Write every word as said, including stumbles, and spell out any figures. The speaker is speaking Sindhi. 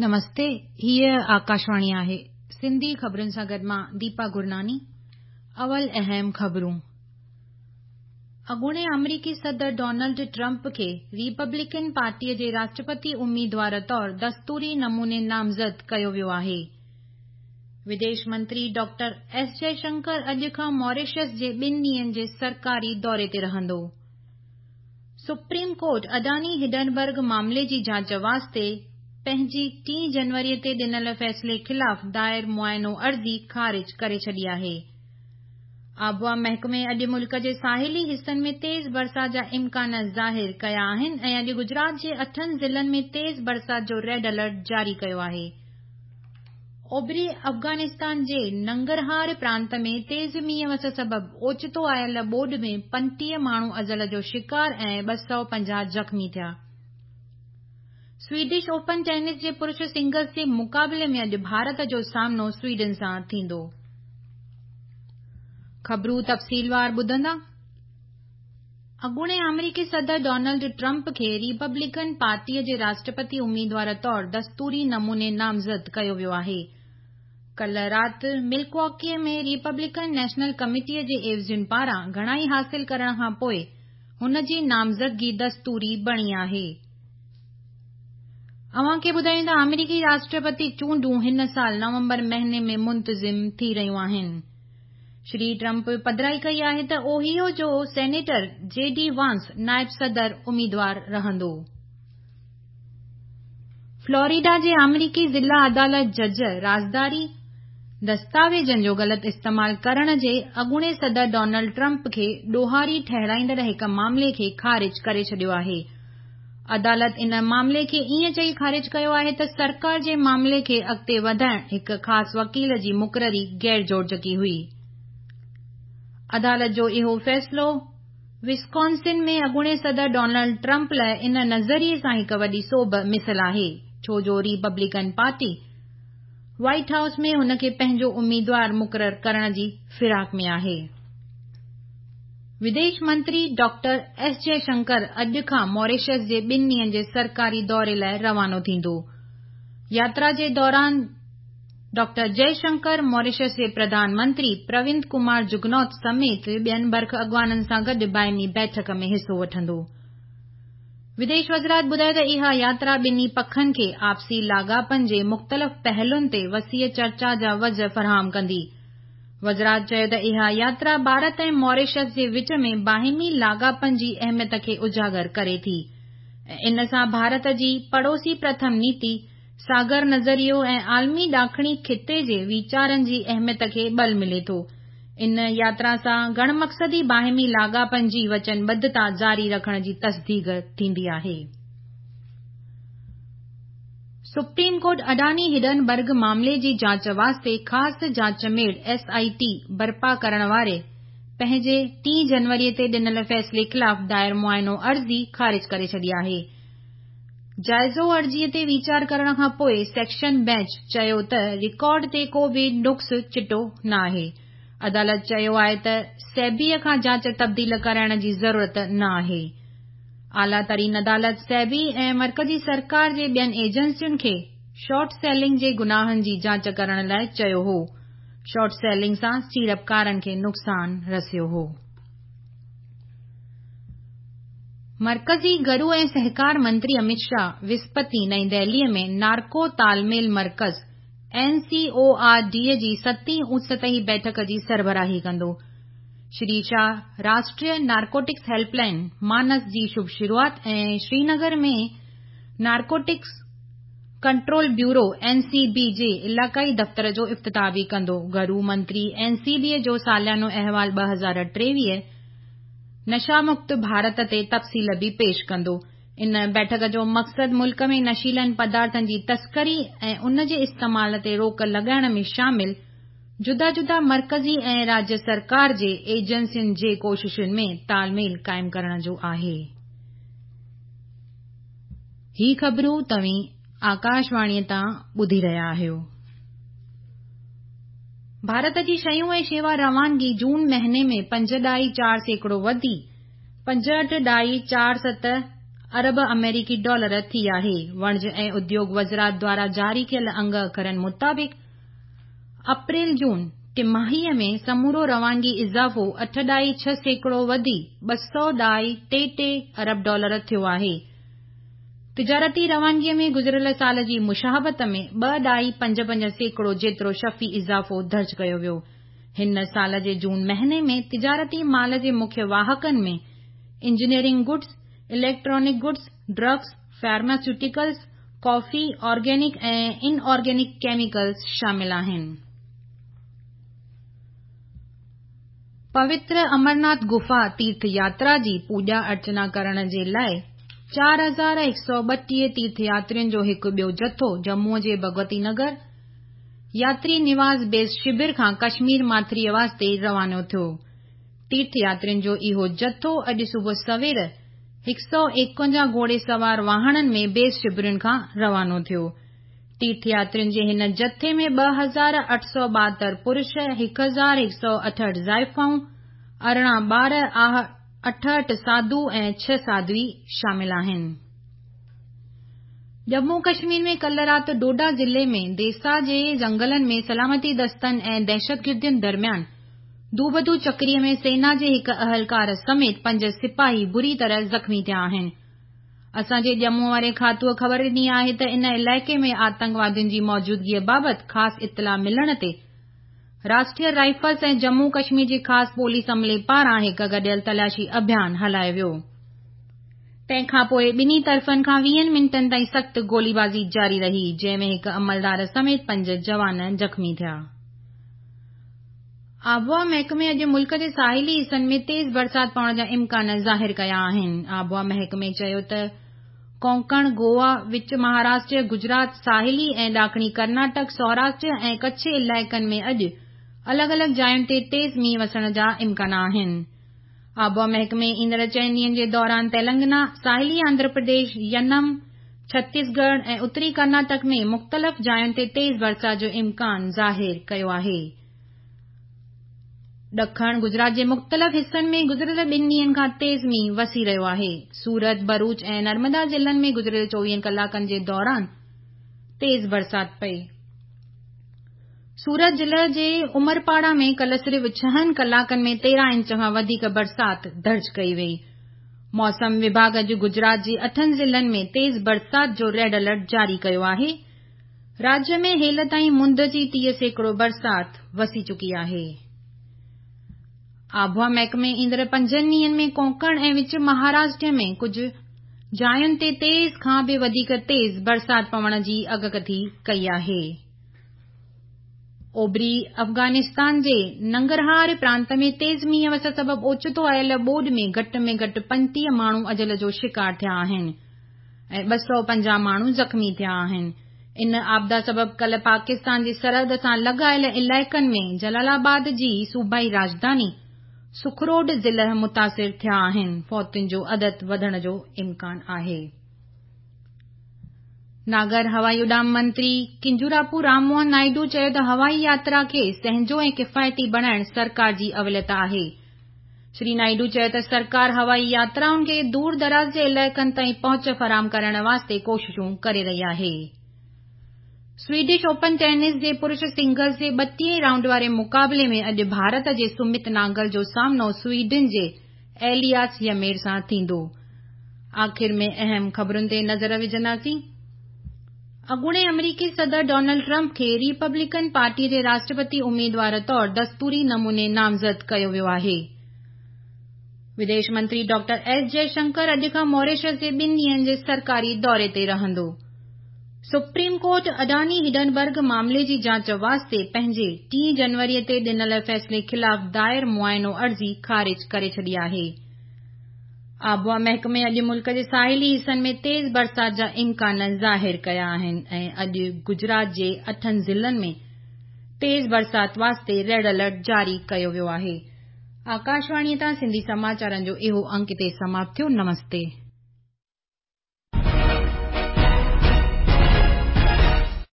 نمستي، هيء آڪاشواڻي آهي. سنڌي خبرن سان گڏ مان ديپا گرناني. اول اهم خبرون. اڳوڻي آمريڪي صدر ڊونلڊ ٽرمپ کي ريپبلڪن پارٽيء جي راشٽرپتي اميدوار طور دستوري نموني نامزد ڪيو ويو آهي. وديش منتري ڊاڪٽر ايس جئشنڪر اڄ کان ماريشس جي ٻن ڏينهن جي سرڪاري دوري تي رهندو. سپريم ڪورٽ اڊاني هڊنبرگ معاملي جي جاچ واسطي پنهنجي ٽين جنوريء تي ڏنل فيصلي خلاف دائر معائنو عرضي خارج ڪري ڇڏي آهي. آبهوا محڪمي اڄ ملڪ جي ساحلي حصن ۾ تيز برسات جا امڪان ظاهر ڪيا آهن ۽ اڄ گجرات جي اٺن ضلعن ۾ تيز برسات جو ريڊ الرٽ جاري ڪيو آهي. اوڀري افغانستان جي ننگرهار پرانت ۾ تيز مينهن وس سبب اوچتو آيل ٻوڏ ۾ پنجٽيهه ماڻهو اجل جو شڪار ۽ ٻه سؤ پنجاهه زخمي ٿيا. سويڊش اوپن ٽينس جي پرش سنگلز جي مقابلي ۾ اڄ ڀارت جو سامنو سويڊن سان ٿيندو. خبرون تفصيلوار ٻڌندا. اڳوڻي آمريڪي صدر ڊونلڊ ٽرمپ کي ريپبلڪن پارٽيء جي راشٽرپتي اميدوار طور دستوري نموني نامزد ڪيو ويو آهي. ڪالهه رات ملڪواڪيء ۾ ريپبلڪن نيشنل ڪميٽيء جي عيوضين پاران گهڻائي حاصل ڪرڻ کان پوءِ هن جي نامزدگي دستوري بڻي آهي. اوهان کي ٻڌايون ته آمريڪي راشٽرپتي چونڊون هن سال نومبر مهيني ۾ منتظم ٿي رهيون آهن. شري ٽرمپ پڌرائي ڪئي آهي ته اوهيو جو سينيٽر جي ڊي وانس نائب صدر اميدوار رهندو. فلوريڊا جي آمريڪي ضلع عدالت جج رازداري دستاويزن جو غلط استعمال ڪرڻ جي اڳوڻي صدر ڊونلڊ ٽرمپ کي ڏوهاري ٺهرائيندڙ هڪ معاملي کي خارج ڪري ڇڏيو آهي. عدالت ان معاملي کي ائين چئي خارج ڪيو آهي ته سرڪار جي معاملي کي اڳتي وڌائڻ هڪ خاص وڪيل جي مقرري غير جوڙجڪي هئي. عدالت جو اهو فيصلو وسڪونسن ۾ اڳوڻي صدر ڊونلڊ ٽرمپ لاءِ ان نظريي سان هڪ وڏي سوڀ مثل آهي، ڇو جو ريپبلڪن پارٽي وائيٽ هائوس ۾ هن کي پنهنجو اميدوار مقرر ڪرڻ جي فراق ۾ آهي. وديش منتري ڊاڪٽر ايس جئشنڪر اڄ کان ماريشس جي ٻن ڏينهن جي سرڪاري دوري لاءِ روانو ٿيندو. ياترا جي دوران ڊاڪٽر جئشنڪر ماريشس جي پرڌان منتري پروند ڪمار جگنوٿ سميت ٻين برک اڳواڻن سان گڏ باهمي بيٺڪ ۾ حصو وٺندو. وديش وزارت ٻڌايو ته اها ياترا ٻنهي پکن کي آپسي لاڳاپن جي مختلف پهلوئن تي وسيع چرچا جا وجهه فراهم ڪندي. وزارت چيو ته اها ياترا ڀارت ۽ ماريشس جي وچ ۾ باهمي لاڳاپن جي اهميت کي اجاگر ڪري ٿي ۽ ان سان ڀارت جي پڙوسي پرٿم نيتي، ساگر نظريو ۽ عالمي ڏاکڻي خطي جي ويچارن جي اهميت کي ٻل ملي ٿو. ان ياترا سان گهڻ مقصدي باهمي لاڳاپن جي وچنبڌتا جاري رکڻ جي تصديق ٿيندي آهي. سپريم ڪورٽ اڊاني هڊنبرگ معاملي جي جاچ واسطي خاص جاچ ميڙ ايس I ٽي برپا ڪرڻ واري پنهنجي ٽين جنوريء تي ڏنل فيصلي خلاف دائر معائنو عرضي خارج ڪري ڇڏي آهي. جائزو عرضيء تي ويچار ڪرڻ کان پوءِ سيشن بينچ چيو ته رڪارڊ تي ڪو به نقص چٽو ناهي. عدالت چيو آهي ته سيبيء کان جاچ تبديل ڪرائڻ جي ضرورت نه آهي. اعليٰ ترين عدالت سيبي ۽ مرڪزي سرڪار جي ٻين ايجنسين کي شارٽ سيلنگ جي گناهن جي جاچ ڪرڻ لاءِ چيو هو. شارٽ سيلنگ سان سيڙپڪارن کي نقصان رسيو هو. مرڪزي گهرو ۽ سهڪار منتري امت شاهه وسپت نئين دهليء ۾ نارڪو تالميل مرڪز اين سي او آر ڊي جي ستين اچ سطحي بيٺڪ جي سربراهي ڪندو. Shri Shah Rashtriya narcotics help line مانس جي شڀ شروعات ۽ Srinagar ۾ narcotics control bureau N C B جي علائقائي دفتر جو افتتاح به ڪندو. گهرو منتري اين سي بي جو ساليانو احوال ٻه هزار ٽيويهه نشا مڪت ڀارت تي تفصيل به پيش ڪندو. ان بيٺڪ جو مقصد ملڪ ۾ نشيلن پدارٿن جي تسڪري ۽ ان جي استعمال تي روڪ لڳائڻ ۾ شامل جدا جدا مرڪزي ۽ راجيه سرڪار جي ايجنسين جي ڪوششن ۾ تالميل قائم ڪرڻ جو آهي. هي خبرون توهين آڪاشواڻيء تان ٻڌي رهيا آهيو. ڀارت جي شيون ۽ شيوا روانگي جون مهيني ۾ پنج ڏهائي چار سيڪڙو وڌي پنجهٺ ڏهائي چار ست ارب آمريڪي ڊالر ٿي آهي. وڻج ۽ اديوگ وزارت دواران جاري ڪيل انگ اکرن مطابق اپريل جون ٽماهيءَ ۾ سمورو روانگي اضافو اٺ ڏهائي ڇهه سيڪڙو وڌي ٻه سؤ ڏهائي ٽي ٽي ارب ڊالر ٿيو آهي. تجارتي روانگيءَ ۾ گذريل سال جي مشابهت ۾ ٻه ڏهائي پنج پنج سيڪڙو جيترو شفي اضافو درج ڪيو ويو. هن سال جي جون مهيني ۾ تجارتي مال جي مکيه واهڪن ۾ engineering goods, electronic goods, drugs, pharmaceuticals, coffee, organic ۽ inorganic chemicals شامل آهن. پوتر امرناٿ گفا تيرٿ ياترا جي پوڄا ارچنا ڪرڻ جي لاءِ چار هزار هڪ سؤ ٻٽيهه تيرٿ ياترين جو هڪ ٻيو جٿو ڄمون جي ڀڳوتي نگر ياتري نواس بيس شور کان ڪشمير ماٿريءَ واسطي روانو ٿيو. تيرٿ ياترين جو اهو جٿو اڄ صبح سوير هڪ سؤ ايڪونجاهه گهوڙي سوار واهڻن ۾ بيس شورن کان روانو ٿيو. تيرٿ ياترين جي هن جٿي ۾ ٻه هزار اٺ سؤ ٻاهتر پرش، هڪ هزار هڪ سؤ اٺهٺ زائفائون، ارڙهن ٻار، اٺهٺ ساڌو ۽ ڇهه ساڌوي شامل آهن. ڄمون ڪشمير ۾ ڪالهه رات ڊوڊا ضلعي ۾ ديسا جي جنگلن ۾ سلامتي دستن ۽ دهشتگردن درميان دوبدو چڪريءَ ۾ سينا جي هڪ اهلڪار سميت پنج سپاهي بري طرح زخمي ٿيا آهن. اسان جي ڄمون واري کاتوءَ خبر ڏني آهي ته ان علائقي ۾ آتنڪوادين جي موجودگيءَ بابت خاص اطلاع ملڻ تي راشٽريه رائفلز ۽ ڄمون ڪشمير جي خاص پوليس عملي پاران هڪ گڏيل تلاشي اڀيان هلايو ويو. تنهن کان پوءِ ٻنهي طرفن کان ويهن منٽن تائين سخت گوليبازي جاري رهي، جنهن ۾ هڪ عملدار سميت پنج جوان زخمي ٿيا. آبهوا محڪمي اڄ ملڪ جي ساحلي حصن ۾ تيز برسات پوڻ جا امڪان ظاهر ڪيا آهن. آبهوا محڪمي چيو ته ڪونڪڻ، گوا، وچ مهاراشٽر، گجرات، ساحلي ۽ ڏاکڻي ڪرناٽڪ، سوراشٽر ۽ ڪڇ علائقن ۾ اڄ الڳ الڳ جاين تي تيز مينهن وسڻ جا امڪان آهن. آبهوا محڪمي ايندڙ چئن ڏينهن جي دوران تيلنگانا، ساحلي آنڌرا پرديش، ينم، ڇتيسڳڙهه ۽ اتري ڪرناٽڪ ۾ مختلف جاين تي تيز برسات جو امڪان ظاهر ڪيو آهي. ڏکڻ گجرات جي مختلف حصن ۾ گذريل ٻن ڏينهن کان تيز مينهن وسي رهيو آهي. سورت، ڀروچ ۽ نرمدا ضلعن ۾ گذريل چوويهن ڪلاڪن جي دوران تيز برسات پئي. سورت ضلعي جي عمرپاڙا ۾ ڪالهه صرف ڇهن ڪلاڪن ۾ تيرهن انچ کان وڌيڪ برسات درج ڪئي وئي. موسم وڀاڳ اڄ گجرات جي اٺن ضلعن ۾ تيز برسات جو ريڊ الرٽ جاري ڪيو آهي. راجيه ۾ هيل تائين مند جي ٽيهه سيڪڙو برسات وسي چڪي آهي. آبهوا محڪمي ايندڙ پنجن ڏينهن ۾ ڪونڪڻ ۽ وچ مهاراشٽر ۾ ڪجهه جاين تي تيز کان به وڌيڪ تيز برسات پوڻ جي اڳڪٿي ڪئي آهي. اوڀري افغانستان جي ننگرهار پرانت ۾ تيز مينهن وس سبب اوچتو آيل ٻوڏ ۾ گهٽ ۾ گهٽ پنجٽيهه ماڻهو اجل جو شڪار ٿيا آهن ۽ ٻه سؤ پنجاهه ماڻهو زخمي ٿيا آهن. ان آپدا سبب ڪالهه پاڪستان جي سرحد سان لڳايل علائقن ۾ جلال آباد جي صوبائي راڄڌاني سکروڊ ضلع متاثر ٿيا آهن. فوتين جو عدد وڌڻ جو امڪان آهي. ناگر هوائي اڏام منتري ڪنجوراپو رام موهن نائيڊو چيو ته هوائي ياترا کي سهنجو ۽ ڪفايتي بڻائڻ سرڪار جي اوليت آهي. شري نائيڊو چيو ته سرڪار هوائي ياترائن کي دور دراز جي علائقن تائين پهچ فراهم ڪرڻ واسطي ڪوششون ڪري رهي آهي. سويڊش اوپن ٽينس جي پرش سنگلز جي ٻٽيهين رائونڊ واري مقابلي ۾ اڄ ڀارت جي سمت ناگل جو سامنو سويڊن جي ايلياس يمير سان ٿيندو. آخر ۾ اهم خبرن تي نظر وجهنداسين. اڳوڻي آمريڪي صدر ڊونلڊ ٽرمپ کي ريپبلڪن پارٽي جي راشٽرپتي اميدوار طور دستوري نموني نامزد ڪيو ويو آهي. وديش منتري ڊاڪٽر ايس جئشنڪر اڄ کان ماريشس جي ٻن ڏينهن جي سرڪاري دوري تي رهندو. سپريم ڪورٽ اڊاني هڊنبرگ معاملي جي جاچ واسطي پنهنجي ٽين جنوري تي ڏنل فيصلي خلاف دائر معائنو عرضي خارج ڪري ڇڏي آهي. آبهوا محڪمي اڄ ملڪ جي ساحلي حصن ۾ تيز برسات جا امڪان ظاهر ڪيا آهن ۽ اڄ گجرات جي اٺن ضلعن ۾ تيز برسات واسطي ريڊ الرٽ جاري ڪيو ويو آهي. آڪاشواڻيءَ تان سنڌي سماچارن جو اهو انڪ هتي سماپت ٿيو. نمستي.